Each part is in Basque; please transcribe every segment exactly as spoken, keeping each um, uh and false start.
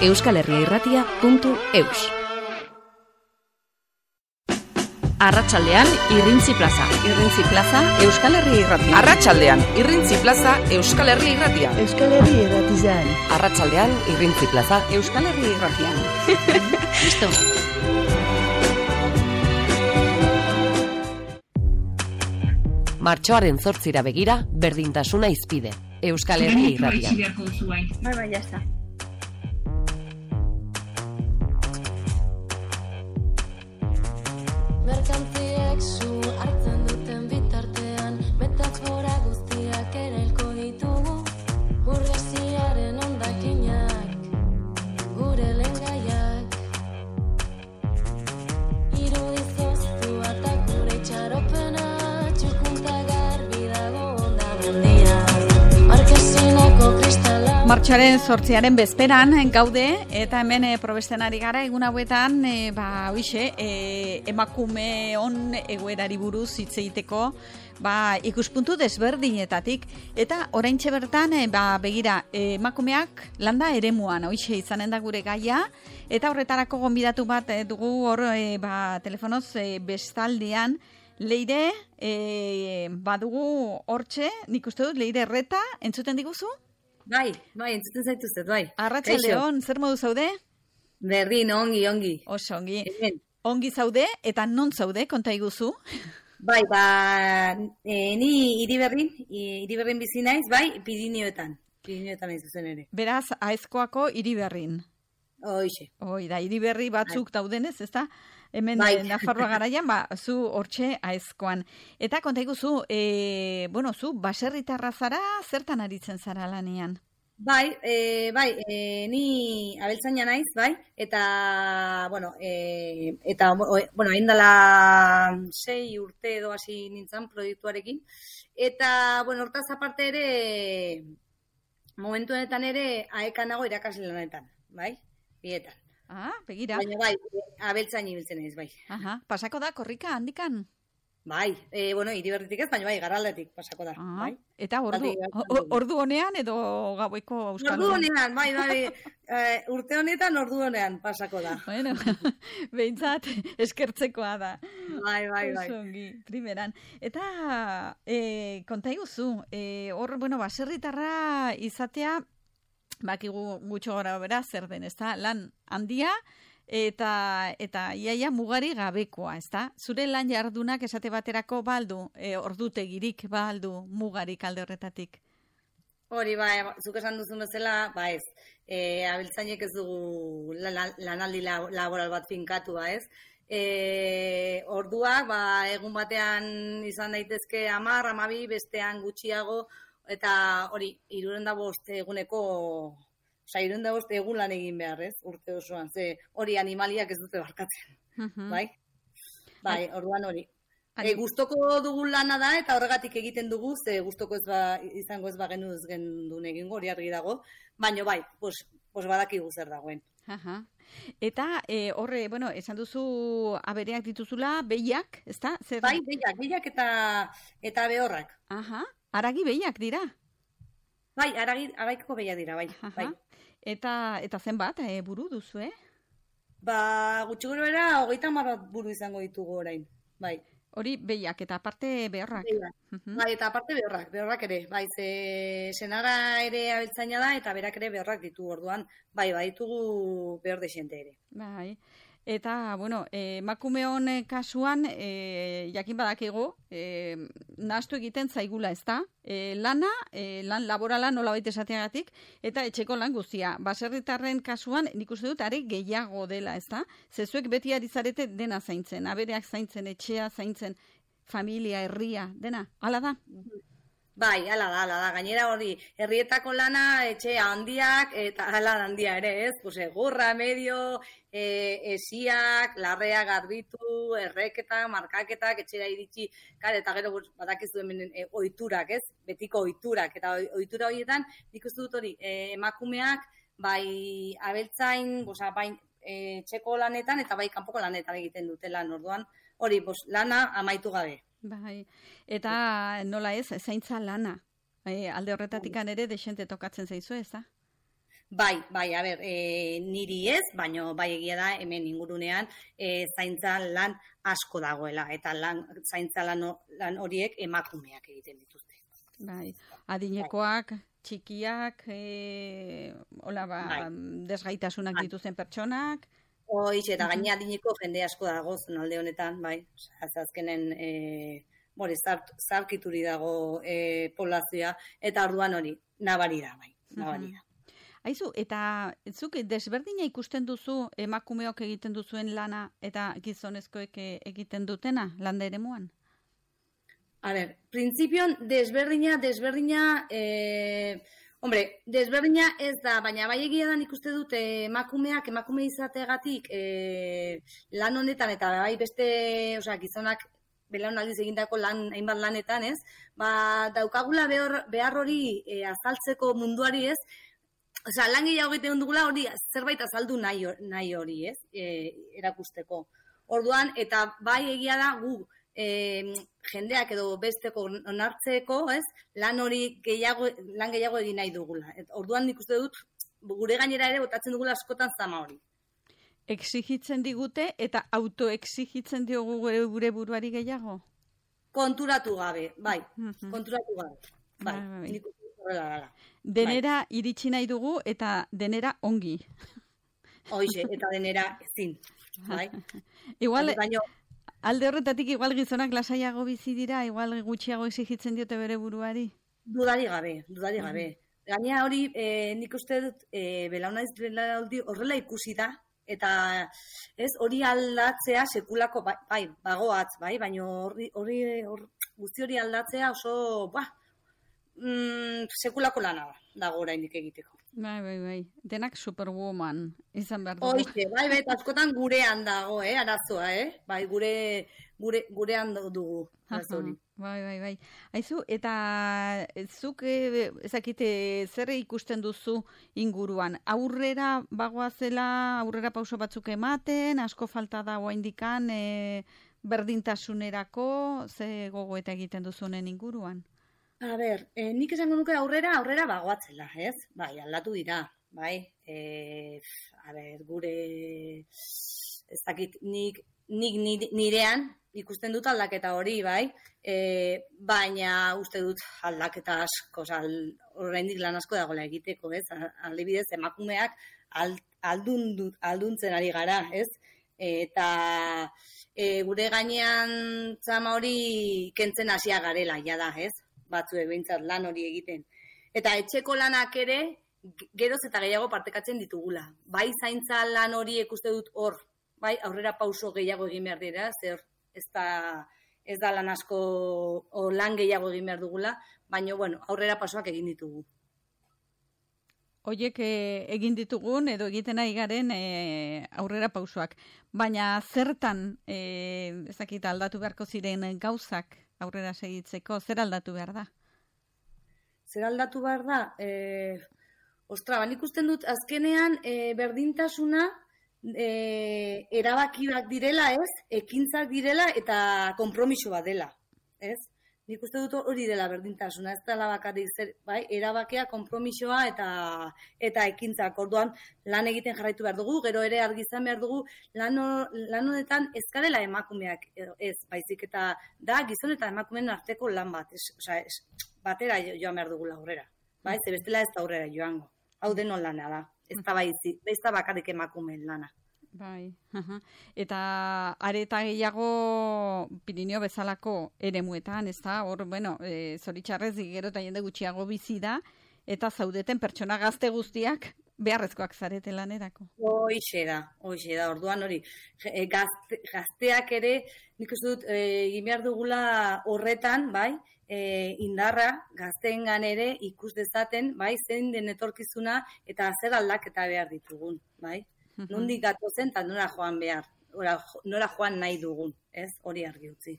euskalherriairratia puntu eus. Arratsaldean Irrintzi Plaza. Irrintzi Plaza Euskal Herria Irratia. Arratsaldean Irrintzi Plaza Euskal Herria Irratia. Euskal Herria Irratian. Arratsaldean Irrintzi Plaza Euskal Herria Irratia. Listo. Martxoaren zortzira begira, berdintasuna izpide. Euskal Herria Irratia. Bai, bai, ya está. Merkantziek zu hartzen duten bitartean, metafora guztiak erailko ditugu, burgesiaren hondakinak, gure lehengaiak. Irudizoztu eta gure itxaropena, txukunta garbi dago ondamendia, markesineko kristala. Martxoaren zortziaren bezperan gaude, eta hemen e, probesten ari gara, egun hauetan, e, ba, oixe, e, emakume on egoerari buruz hitz egiteko, ba, ikuspuntu desberdinetatik, eta oraintxe bertan, e, ba, begira, e, emakumeak landa eremuan, oixe, izanen da gure gaia, eta horretarako gonbidatu bat e, dugu hor, e, ba, telefonoz e, bestaldean, Leire, e, badugu hortxe, nik uste dut, Leire Erreta, entzuten diguzu? Bai, bai, entzuten zaituztet, bai. Arratsaldeon, zer modu zaude? Berdin, ongi, ongi. Oso, ongi. Hemen. Ongi zaude, eta non zaude, konta iguzu? Bai, ba, e, ni Iriberrin, Iriberrin bizi naiz, bai, Pirinioetan. Pirinioetan naiz zuzen ere. Beraz, Aezkoako Iriberrin. Hoixe. Hoi, da, Iriberri batzuk bai. Daudenez, ezta? Hemen bai. Nafarroa garaian, ba, zu hortxe Aezkoan. Eta konta iguzu, e, bueno, zu, baserritarra zara, zertan aritzen zara lanean? Bai, e, bai, e, ni abeltzaina naiz, bai, eta, bueno, e, eta, bueno, haindala sei urte edo hasi nintzen proiektuarekin, eta, bueno, hortaz aparte ere, momentu honetan ere, aekan nago irakasle lanetan, bai, bietan. Ah, begira. Baina bai, abeltzain ibiltzen ez, bai. Aha, pasako da korrika handikan? Bai, e, bueno, Iriberritik ez, baina bai, Garraldetik pasako da. Ah, bai. Eta ordu, ordu honean edo gaueko euskal Ordu honean, bai, bai, e, urte honetan ordu honean pasako da. Bueno, behintzat eskertzekoa da. Bai, bai, bai. Osongi, primeran. Eta, e, konta iguzu, e, hor, bueno, baserritarra izatea, bakigu gutxo gara bera zer den, ezta? Lan handia eta eta iaia mugari gabekoa, ezta? Zure lan jardunak esate baterako baldu, e, ordutegirik baldu mugarik alde horretatik. Hori, bai, zuk esan duzun bezala, ba ez. E, abeltzainek ez dugu lanaldi laboral bat finkatua, ez? E, orduak, ba, egun batean izan daitezke hamar, hamabi, bestean gutxiago, eta hori, hirurehun eta bost eguneko, oza, hirurehun eta bost egun lan egin behar, ez, urte osoan, ze hori animaliak ez dute barkatzen, uh-huh. bai? Bai, orduan hori. E, gustoko dugun lana da, eta horregatik egiten dugu, ze gustoko ez ba, izango ez bagenu ez gendun egingo, hori argi dago, baina bai, pos, pos badakigu zer dagoen. Aha. Eta e, horre, bueno, esan duzu abereak dituzula, behiak, ezta? Zer... Bai, behiak, behiak eta, eta behorrak. Aha. Aragi behiak dira? Bai, aragi, aragiko behiak dira, bai. bai. Eta, eta zenbat, e, buru duzu, eh? Ba, gutxi gure bera, hogeita hamar buru izango ditugu orain, bai. Hori behiak, eta aparte behorrak. Uh-huh. Bai, eta aparte behorrak, behorrak ere. Bai, ze senara ere abeltzaina da, eta berak ere behorrak ditu orduan. Bai, bai, ditugu behor desente ere. Bai. Eta, bueno, emakumeon e, kasuan, e, jakin badakigu, e, nahastu egiten zaigula, ezta? E, lana, e, lan laborala nola baita esateagatik, eta etxeko lan guztia. Baserritarren kasuan, nik uste dut, are gehiago dela, ezta? Zezuek beti ari zarete dena zaintzen, abereak zaintzen, etxea zaintzen, familia, herria, dena, hala da? Bai, hala da, hala da. Gainera hori, herrietako lana, etxe handiak, eta hala handia ere, ez? Pues, egurra, medio, e, esiak, larrea garbitu, erreketak, markaketak, etxera iritsi, kar, eta gero badakizu hemen e, ohiturak, ez? Betiko ohiturak, eta ohitura horietan, nik uste dut hori, e, emakumeak, bai abeltzain, bosa, bai e, txeko lanetan, eta bai kanpoko lanetan egiten dute lan, orduan, hori, bos, lana amaitu gabe. Bai, eta nola ez, zaintza lana, e, alde horretatikan ere desente tokatzen zaizu, ez da? Bai, bai, a ber, e, niri ez, baino bai egia da hemen ingurunean e, zaintza lan asko dagoela, eta lan, zaintza lan, lan horiek emakumeak egiten dituzte. Bai, adinekoak, txikiak, e, hola ba, Bai. desgaitasunak Bai. dituzten pertsonak. Hoiz, eta gaina adineko jende asko dago zonalde honetan, bai, Osea, azkenen e, bore, zart, zarkituri dago e, poblazioa, eta orduan hori, nabari da, bai, nabari da. Aizu, eta zuk desberdina ikusten duzu emakumeok egiten duzuen lana eta gizonezkoek egiten dutena landa eremuan? A ber, printzipioan desberdina, desberdina, eh, hombre, desberdina ez da, baina bai egia da nik uste dut eh, emakumeak, emakume izategatik eh, lan honetan eta bai beste, osea, gizonak belaunaldiz egindako lan, hainbat lanetan, ez? Ba, daukagula behar, behar hori eh, azaltzeko munduari, ez? Osea, lan gehiago egiten dugula hori zerbait azaldu nahi, nahi hori, ez? E, erakusteko. Orduan, eta bai egia da gu e, jendeak edo besteko onartzeko, ez? Lan hori gehiago, lan gehiago egin nahi dugula. Et, orduan nik uste dut, gure gainera ere botatzen dugula askotan zama hori. Exigitzen digute eta autoexigitzen diogu gure, gure buruari gehiago? Konturatu gabe, bai. Konturatu gabe. Bai, Bai, bai. nik uste dut horrela dela. Denera iritsi nahi dugu eta denera ongi. Hoize, eta denera ezin. Bai. Igual, Baina, alde horretatik igual gizonak lasaiago bizi dira, igual gutxiago exigitzen diote bere buruari. Dudari gabe, dudari gabe. Gaina hori, e, nik uste dut, e, belaunaiz belaunaldi horrela ikusi da, eta ez hori aldatzea sekulako, bai, bai bagoatz, bai, baina hori, hori, hor, guzti hori aldatzea oso, ba, mm, sekulako lana da, dago oraindik egiteko. Bai, bai, bai. Denak superwoman izan behar dugu. Hoize, bai, bai, eta askotan gurean dago, eh, arazoa, eh? Bai, gure, gure, gurean dugu, arazo hori. Bai, bai, bai. Aizu, eta zuk e, ezakite zer ikusten duzu inguruan? Aurrera bagoazela, aurrera pauso batzuk ematen, asko falta da oraindikan e, berdintasunerako, ze gogoeta egiten duzunen inguruan? A ber, eh, nik esango nuke aurrera, aurrera bagoatzela, ez? Bai, aldatu dira, bai. Eh, a ber, gure, ez dakit, nik, nik nire- nirean ikusten dut aldaketa hori, bai. Eh, baina uste dut aldaketa asko, oza, oraindik lan asko dagoela egiteko, ez? Aldibidez, emakumeak ald, aldun, dut- alduntzen ari gara, ez? Eta e, gure gainean zama hori kentzen hasia garela, ja da, ez? Batzuek behintzat lan hori egiten. Eta etxeko lanak ere, ge- geroz eta gehiago partekatzen ditugula. Bai zaintza lan hori ikuste dut hor, bai aurrera pauso gehiago egin behar dira, zer ez da, ez da lan asko o lan gehiago egin behar dugula, baina bueno, aurrera pausoak egin ditugu. Hoiek e, egin ditugun edo egiten ari garen e, aurrera pausoak. Baina zertan e, ezakit aldatu beharko ziren gauzak aurrera segitzeko, zer aldatu behar da? Zer aldatu behar da? E, ostra, ban ikusten dut azkenean e, berdintasuna e, erabakiak direla, ez? Ekintzak direla eta konpromiso bat dela, ez? Nik uste dut hori dela berdintasuna, ez dela bakarrik zer, bai, erabakia, konpromisoa eta eta ekintzak. Orduan lan egiten jarraitu behar dugu, gero ere argi izan behar dugu lan, ho- lan honetan ez garela emakumeak edo ez, baizik eta da gizon eta emakumeen arteko lan bat, ez, osea, ez, batera jo- joan behar dugula aurrera. Bai, ze bestela ez da aurrera joango. Hau denon lana da. Ez da baizi, ez da bakarrik emakumeen lana. Bai, aha. Eta areta gehiago Pirineo bezalako eremuetan, ez da, hor, bueno, e, zoritxarrez gero eta jende gutxiago bizi da, eta zaudeten pertsona gazte guztiak beharrezkoak zarete lanerako. Hoixe da, hoixe da, orduan hori. E, gazte, gazteak ere, nik uste dut, e, egin behar dugula horretan, bai, e, indarra gazteengan ere ikus dezaten, bai, zein den etorkizuna eta zer aldaketa behar ditugun, bai. Nondik gatozen eta nora joan behar, nora, nora joan nahi dugun, ez? Hori argi utzi.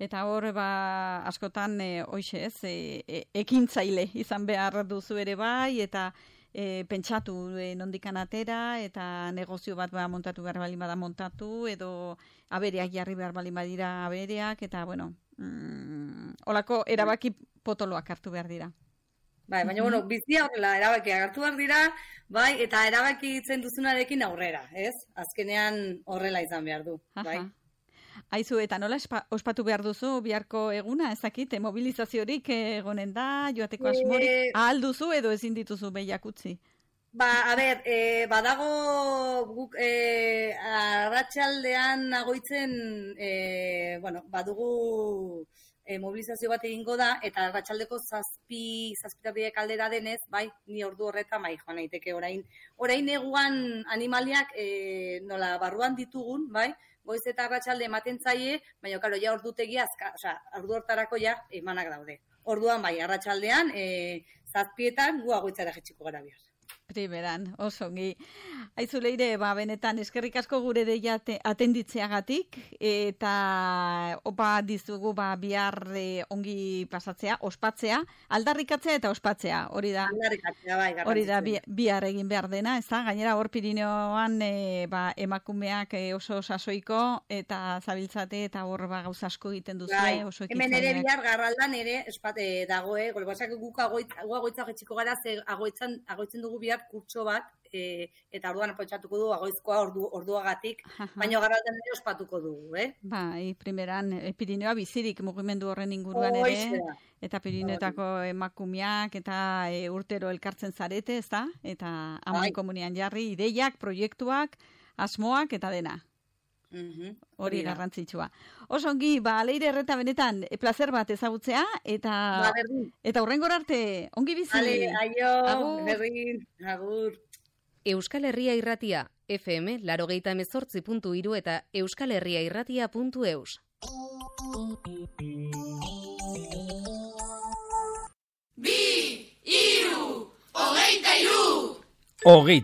Eta hor, ba, askotan, e, hoixe ez, e, e, ekintzaile izan behar duzu ere bai, eta e, pentsatu e, nondikan atera, eta negozio bat ba, montatu behar balin bada montatu, edo abereak jarri behar balin badira abereak, eta, bueno, mm, holako erabaki potoloak hartu behar dira. Bai, baina, bueno, bizia horrela, erabakiak hartu behar dira, bai, eta erabaki itzen duzunarekin aurrera, ez? Azkenean horrela izan behar du, bai. Aha. Aizu, eta nola espa, ospatu behar duzu biharko eguna, ezakit, mobilizaziorik egonen da, joateko asmorik, Eh, ahal duzu edo ezin dituzu behiak utzi? Ba, a ber, e, badago guk e, arratsaldean agoitzen, e, bueno, badugu e, mobilizazio bat egingo da, eta arratsaldeko zazpi, zazpitabiek aldera denez, bai, ni ordu horretan bai joan naiteke orain. Orain neguan animaliak e, nola barruan ditugun, bai, goiz eta arratsalde ematen zaie, baina, karo, ja ordutegia, azka, osea, ordu hortarako ja emanak daude. Orduan bai, arratsaldean, e, zazpietan gu agoitzara jetxiko gara bihar. Primeran, oso ongi. Aizu Leire, ba, benetan eskerrik asko gure deia te- atenditzeagatik, eta opa dizugu ba, bihar eh, ongi pasatzea, ospatzea, aldarrikatzea eta ospatzea, hori da. Aldarrikatzea, bai, Hori da bi- garrantzitsua. bihar egin behar dena, ez da? Gainera hor Pirineoan e, ba, emakumeak e, oso sasoiko eta zabiltzate eta hor ba, gauza asko egiten duzu, Bai, oso hemen ere ekintzaileak. bihar garraldan ere espate dagoe, golbasak guk agoitz, gu agoitza jetxiko gara, ze agoitzan, agoitzen dugu bihar kurtso bat, e, eta orduan pentsatuko du agoizkoa ordu, orduagatik, Aha. baina garraldan ere ospatuko dugu, eh? Bai, primeran, e, Pirineoa bizirik mugimendu horren inguruan Hoixe ere, da. eta Pirineotako emakumeak eta e, urtero elkartzen zarete, ez da? Eta aman Bai. komunian jarri, ideiak, proiektuak, asmoak eta dena. Mhm, Hori da. garrantzitsua. Oso ongi, ba, Leire Erreta benetan, e, plazer bat ezagutzea, eta Ba, berdin. eta hurrengora arte, ongi bizi. Ale, aio, Agur. berdin, agur. Euskal Herria Irratia, F M, larogeita emezortzi puntu hiru eta euskal herria irratia puntu eus. Hogeita